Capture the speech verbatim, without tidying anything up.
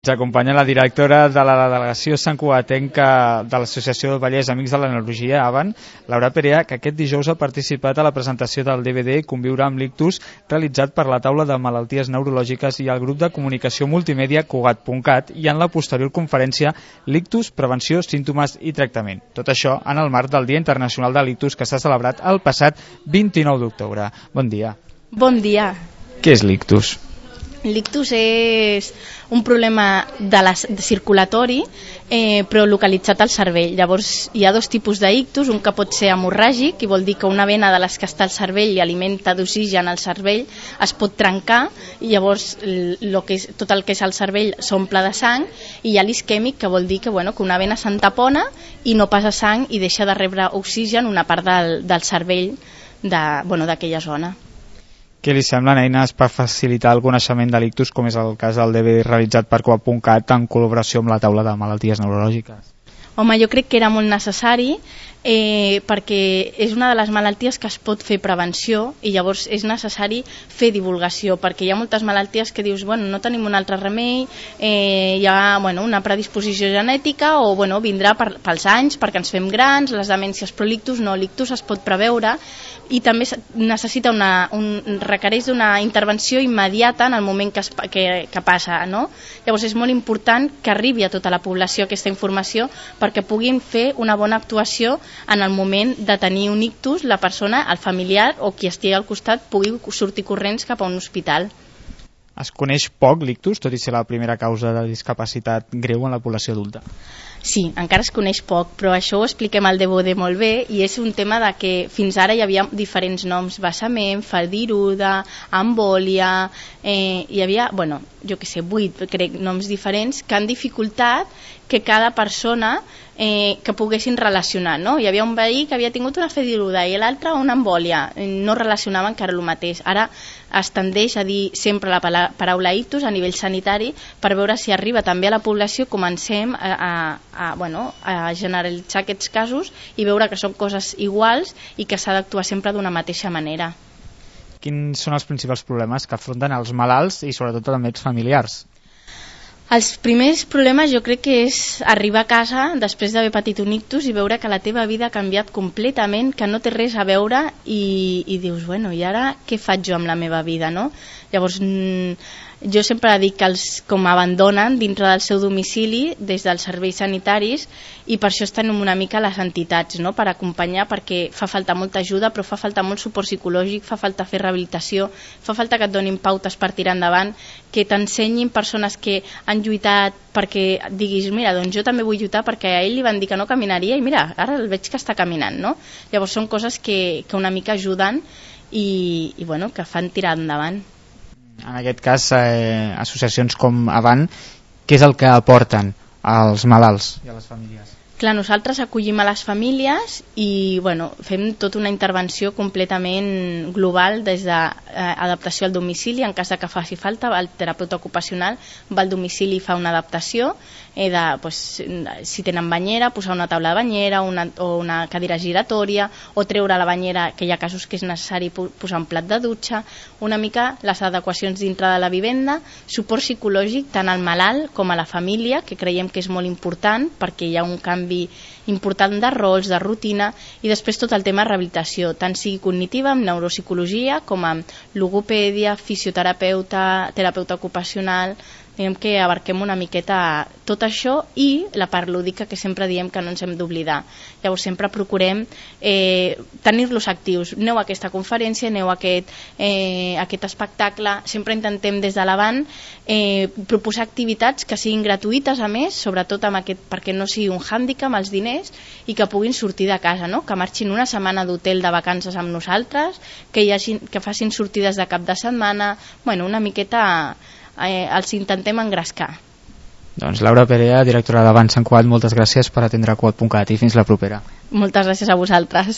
Ens acompanya la directora de la delegació santcugatenca de l'Associació del Vallès Amics de la Neurologia, AVAN, Laura Perea, que aquest dijous ha participat a la presentació del D V D Conviure amb l'ictus, realitzat per la taula de malalties neurològiques i el grup de comunicació multimèdia Cugat punt cat i en la posterior conferència L'ictus, prevenció, símptomes i tractament. Tot això en el marc del Dia Internacional de l'Ictus que s'ha celebrat el passat vint-i-nou d'octubre. Bon dia. Bon dia. Què és l'ictus? L'ictus és un problema de la, de circulatori, eh, però localitzat al cervell. Llavors hi ha dos tipus d'ictus, un que pot ser hemorràgic, i vol dir que una vena de les que està al cervell i alimenta d'oxigen al cervell es pot trencar, i llavors lo que és, tot el que és al cervell s'omple de sang, i hi ha l'isquèmic, que vol dir que, bueno, que una vena s'entapona i no passa sang i deixa de rebre oxigen una part del, del cervell de, bueno, d'aquella zona. Què li semblen eines per facilitar el coneixement de l'ictus, com és el cas del D V D realitzat per Cugat punt cat en col·laboració amb la taula de malalties neurològiques? Home, jo crec que era molt necessari, eh, perquè és una de les malalties que es pot fer prevenció, i llavors és necessari fer divulgació, perquè hi ha moltes malalties que dius, bueno, no tenim un altre remei, eh, hi ha, bueno, una predisposició genètica, o bueno, vindrà per, pels anys, perquè ens fem grans, les demències, però l'ictus no, l'ictus es pot preveure, i també necessita una, un, requereix d'una intervenció immediata en el moment que, es, que, que passa, no? Llavors és molt important que arribi a tota la població aquesta informació perquè puguin fer una bona actuació en el moment de tenir un ictus, la persona, el familiar o qui estigui al costat pugui sortir corrents cap a un hospital. Es coneix poc l'ictus, tot i ser la primera causa de discapacitat greu en la població adulta? Sí, encara es coneix poc, però això ho expliquem al D V D molt bé, i és un tema de que fins ara hi havia diferents noms, vessament, faldiruda, embòlia, eh, hi havia, bueno, jo que sé, vuit, crec, noms diferents que han dificultat que cada persona eh, que poguessin relacionar, no? Hi havia un veí que havia tingut una faldiruda i l'altre una embòlia, no relacionaven que era el mateix. Ara es tendeix a dir sempre la paraula ictus a nivell sanitari per veure si arriba també a la població, comencem a, a, a, bueno, a generalitzar aquests casos i veure que són coses iguals i que s'ha d'actuar sempre d'una mateixa manera. Quins són els principals problemes que afronten els malalts i sobretot també els familiars? Els primers problemes jo crec que és arribar a casa després d'haver patit un ictus i veure que la teva vida ha canviat completament, que no té res a veure, i, i dius, bueno, i ara què faig jo amb la meva vida, no? Llavors, jo sempre dic que els com abandonen dintre del seu domicili des dels serveis sanitaris, i per això estan una mica les entitats, no? Per acompanyar, perquè fa falta molta ajuda, però fa falta molt suport psicològic, fa falta fer rehabilitació, fa falta que et donin pautes per tirar endavant, que t'ensenyin persones que han lluitat perquè diguis, mira, doncs jo també vull lluitar, perquè a ell li van dir que no caminaria i mira, ara el veig que està caminant, no? Llavors són coses que, que una mica ajuden i, i bueno, que fan tirar endavant. En aquest cas, eh, associacions com AVAN, què és el que aporten als malalts i a les famílies? Clar, nosaltres acollim a les famílies i bueno, fem tota una intervenció completament global, des d'adaptació al domicili, en cas de que faci falta, el terapeuta ocupacional va al domicili i fa una adaptació, eh, de, pues, si tenen banyera, posar una taula de banyera una, o una cadira giratòria, o treure la banyera, que hi ha casos que és necessari posar un plat de dutxa, una mica les adequacions dintre de la vivenda, suport psicològic tant al malalt com a la família, que creiem que és molt important perquè hi ha un canvi important de rols, de rutina, i després tot el tema de rehabilitació, tant sigui cognitiva, amb neuropsicologia, com amb logopèdia, fisioterapeuta, terapeuta ocupacional. Diguem que abarquem una miqueta tot això i la part lúdica, que sempre diem que no ens hem d'oblidar. Llavors sempre procurem eh, tenir-los actius. Aneu a aquesta conferència, aneu a aquest, eh, a aquest espectacle. Sempre intentem des de l'Avant eh, proposar activitats que siguin gratuïtes, a més, sobretot amb aquest, perquè no sigui un hàndicap els diners, i que puguin sortir de casa, no? Que marxin una setmana d'hotel de vacances amb nosaltres, que, hi hagi, que facin sortides de cap de setmana, bueno, una miqueta eh, els intentem engrescar. Doncs Laura Perea, directora d'Avant Sant Cugat, moltes gràcies per atendre Cugat punt cat i fins la propera. Moltes gràcies a vosaltres.